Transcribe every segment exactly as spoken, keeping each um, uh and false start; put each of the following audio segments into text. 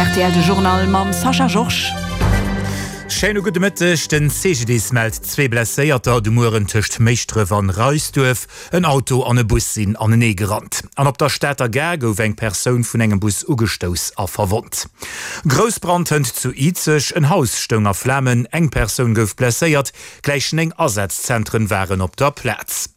R T L de Journal mam Sascha Georges. Schéine gudde Mëtteg. Den C G D I S mellt zwee Blesséierter de Mueren tëscht Méischdref an Reisduerf. En Auto an e Bus sinn anenee gerannt. An op der Stater Gare gouf eng Persoun vun engem Bus ugestouss a verwonnt. Groussbrand hënt zu Izeg, en Haus stoung a Flamen, eng Persoun gouf blesséiert, gläich néng Asazzentren waren op der Plaz.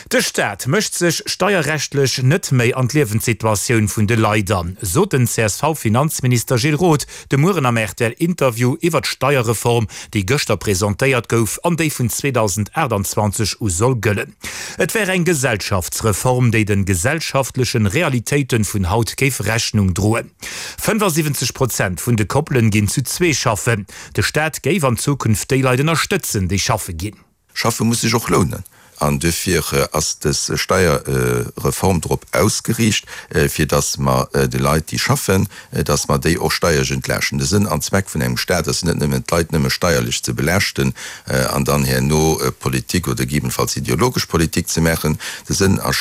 De Staat mécht sech steierrechtlech net méi an d'Liewenssituatioun vun de Leit an, sot den C S V-Finanzminister Gilles Roth de Mueren am R T L-Interview iwwer d'Steierreform, déi gëschter presentéiert gouf an déi vun zweedausendaachtanzwanzeg u soll gëllen. Et wär eng Gesellschaftsreform, déi de gesellschaftleche Realitéite vun haut géif Rechnung droen. fënnefasiwwenzeg Prozent vun de Koppelen ginn zu zwee schaffen. De Staat géif an Zukunft déi Leit ënnerstëtzen, déi schaffe ginn. Schaffe muss sech och lounen. An duerfir ass dës Steierreform drop ausgeriicht, fir datt mer de Leit, déi schaffen, datt mer déi och steierlech entlaaschten. De Sënn an Zweck vun engem Staat ass net nëmmen, d'Leit nëmme steierlech ze belaaschten an dann herno Politik oder gegebenenfalls ideologesch Politik ze maachen. De Sënn a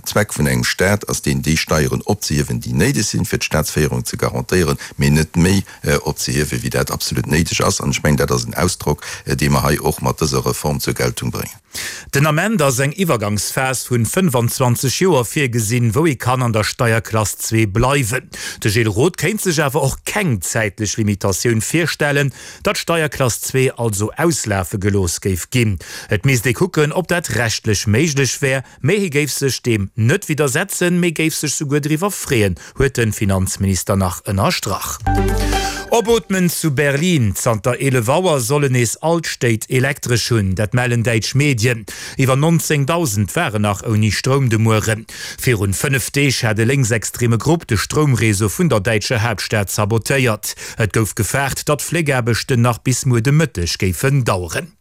Zweck vun engem Staat ass deen, déi Steieren opzehiewen, déi néideg sinn, fir d'Staatsféierung ze garantéieren, mee net méi opzehiewen, wéi dat absolut néideg ass. An ech mengen, dat ass en Ausdrock, dee mer hei och mat dëser Reform zur Geltung bréngen. Den Ament ass eng Iwwergangsphas vun fënnefanzwanzeg Joer virgesinn, wou ee kann an der Steierklass zwee bleiwen. De Gilles Roth kéint sech awer och keng zäitlech Limitatioun virstellen, datt d'Steierklass zwee also auslafe gelooss géif ginn. Et misst ee kucken, ob dat rechtlech méiglech wär, mee hie géif sech deem net widdersetzen, mee géif sech souguer driwwer freeën, huet de Finanzminister nach ënnerstrach. Opootmen zu Berlin, Zanter eelef Auer sollen nees all d'Stéit Elektresch hunn, dat mellen däitsch Medien. Iwwer nonzéngdausend waren nach ouni Stroum de Mueren. Virun fënnef Deeg hat e lénksextreme Grupp de Stroumreseau vun der däitscher Haaptstad sabotéiert. Et gouf gefaart, datt d'Fléckaarbechten nach bis muer de Mëtteg géifen daueren.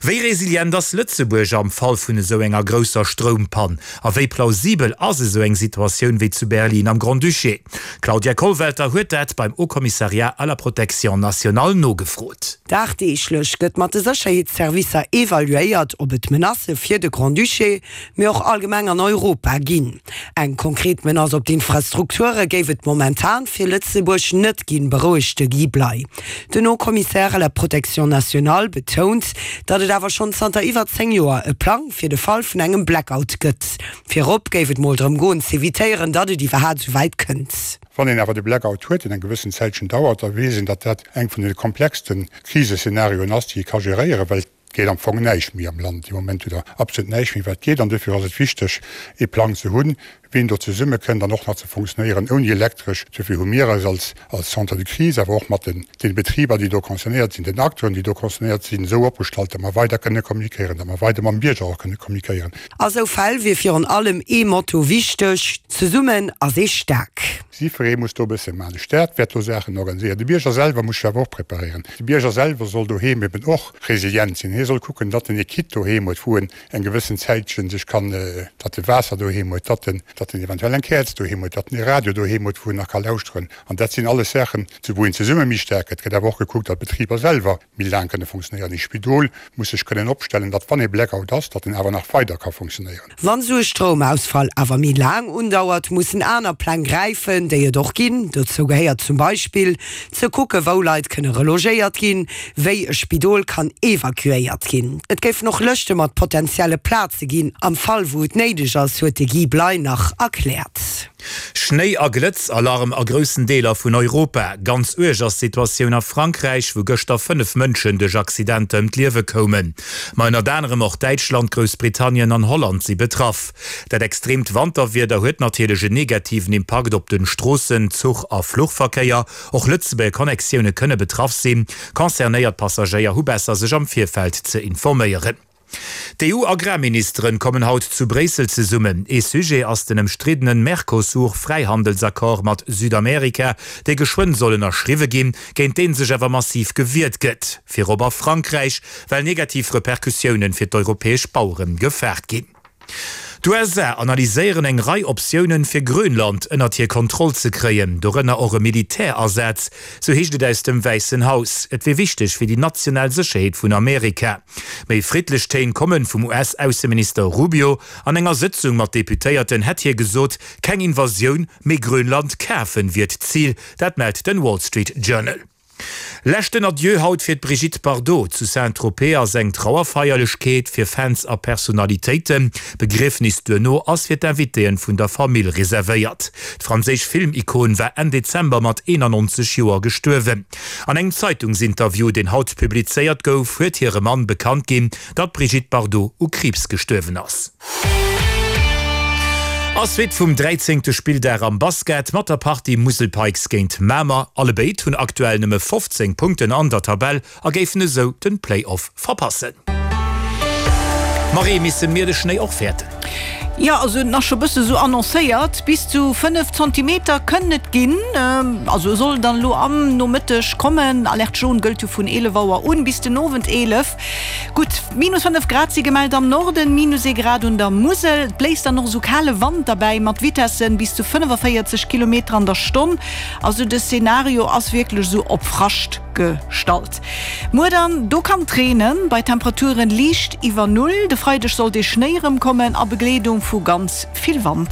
Wéi resilient ass Lëtzebuerg am Fall vun esou enger grousser Stroumpann? A wéi plausibel ass esou eng Situatioun wéi zu Berlin am Grand-Duché? D'Claudia Kollwelter huet dat beim Haut Commissariat à la protection nationale nogefrot. Dagdeeglech gëtt mat de Sécherheetsservicer evaluéiert, ob et Menacë fir de Grand-Duché, mee och allgemeng an Europa ginn. Eng konkret Menace op d'Infrastrukture géif et momentan fir Lëtzebuerg net ginn, berouegt de Guy Bley. Den Haut Commissaire à la protection nationale betount, datt et awer schonn zanter iwwer zéng Joer e Plang fir de Fall vun engem Blackout gëtt. Virop géif et mol drëm goen z'evitéieren, datt et iwwerhaapt sou wäit kënnt. Wann een awer de Blackout huet, deen eng gewëssen Zäitchen dauert, da weess een, datt dat eng vun de komplexste Kriseszenarioen ass, déi ee ka geréieren, well et geet am Fong näischt méi am Land. Dee Moment hutt Der absolut näischt méi, wat geet. An duerfir ass et wichteg, ee Plang ze hunn, wéi een do zesummekënnt an och nach ze funktionéieren ouni Elektresch. Duerfir hu mir eis als als Centre de crise, awer och mat den den Betriber, déi do concernéiert sinn, den Acteuren, déi do concernéiert sinn, esou opgestallt, datt mer weider kënne kommunikéieren, datt mer weider mam Bierger och kënne kommunikéieren. A sou Fäll wier virun allem ee Motto wichteg, Zesummen ass ee staark. Jiddweree muss do e bësse maachen. De Staat wäert do Saachen organiséieren. De Bierger selwer muss sech awer och preparéieren. De Bierger selwer soll doheem eben och resilient sinn. Hie soll kucken, datt en e Kit doheem huet, wou en eng gewëssen Zäitchen sech kann, datt e Waasser doheem huet, datt en, datt en eventuell eng Käerz doheem huet, datt en e Radio doheem huet, wou en nach ka lauschteren. An dat sinn alles Saachen, wou een zesumme méi staark gëtt. Et gëtt awer och gekuckt, datt d'Betriber selwer méi laang kënne funktionéieren. E Spidol muss sech kënnen opstellen, datt wann e Blackout ass, datt en awer nach weider ka funktionéieren. Wann esou e Stroumausfall awer méi laang undauert, mussen aner Pläng gräifen, déi et och ginn. Dozou gehéiert zum Beispill, ze kucke wou Leit kënne relogéiert ginn, wéi e Spidol kann evakuéiert ginn. Et géifen och Lëschte mat potentielle Plaze ginn, am Fall wou et néideg ass, huet de Guy Bley nach erkläert. Schnéi a Glëtzalarm a groussen Deeler vun Europa. Ganz uerg ass d'Situatioun a Frankräich, wou gëschter fënnef Mënschen duerch Accidenter ëm d'Liewe koumen. Ma ënnert anerem och Däitschland, Groussbritannien an Holland si betraff. Dat extreemt Wanterwieder huet natierlech en negativen Impakt op de Stroossen-, Zuch a Fluchverkéier. Och Lëtzebuerger Connectioune kënne betraff sinn. Concernéiert Passagéier hu besser sech am Virfeld ze informéieren. D'E U-Agrarministeren kommen haut zu Bréissel zesummen. Ee Sujet ass den ëmstriddene Mercosur-Fräihandelsaccord mat Südamerika, dee geschwënn soll ënnerschriwwe ginn, géint dee sech awer massiv gewiert gëtt, virop a Frankräich, well negativ Repercussioune fir d'europäesch Bauere gefaart ginn. D'USA analyséieren eng Rei Optiounen, fir Grönland ënnert hir Kontroll ze kréien, dorënner och e Militärasaz, sou heescht et aus dem Wäissen Haus. Et wier wichteg fir déi national Sécherheet vun Amerika. Méi friddlech Téin kommen vum US-Ausseminister Rubio. An enger Sëtzung mat Deputéierten hätt hie gesot, keng Invasioun, mee Grönland kafen wier d'Zil. Dat mellt den Wall Street Journal. Leschten Adieu haut fir d'Brigitte Bardot. Zu Saint-Tropez ass eng Trauerfeierlechkeet fir Fans a Personalitéiten. D'Begriefnis duerno ass fir d'Invitéen vun der Famill reservéiert. D'franséisch Filmikon war Enn Dezember mat eenannonzeg Joer gestuerwen. An engem Zeitungsinterview, deen haut publizéiert gouf, huet hire Mann bekannt ginn, datt d'Brigitte Bardot u Kriibs gestuerwen ass. A Suite vum dräizéngte Spilldag am Basket mat der Partie Musel Pikes géint Mamer. Allebéid hunn aktuell nëmme fofzéng Punkten an der Tabell a géifen esou den Play-Off verpassen. Marie, misse mir de Schnéi och fäerten? Jo, also en ass scho bësse sou annoncéiert, bis zu fënnef Zentimeter kënnen et ginn. Also e soll dann elo am Nomëtteg kommen. Alerte jaune gëllt jo vun eelef Auer un bis den Owend eelef. Gutt minus fënnef Grad si gemellt am Norden, minus ee Grad un der Musel. Et bléist dann och esou kale Wand derbäi mat Vitessen bis zu fënnefavéierzeg Kilometer an der Stonn. Also de Szenario ass wierklech esou op Frascht gestallt. Muer dann, do kann et reenen, bei Temperaturen liicht iwwer Null. De Freideg soll dee Schnéi erëmkommen a Begleedung vu ganz vill Wand.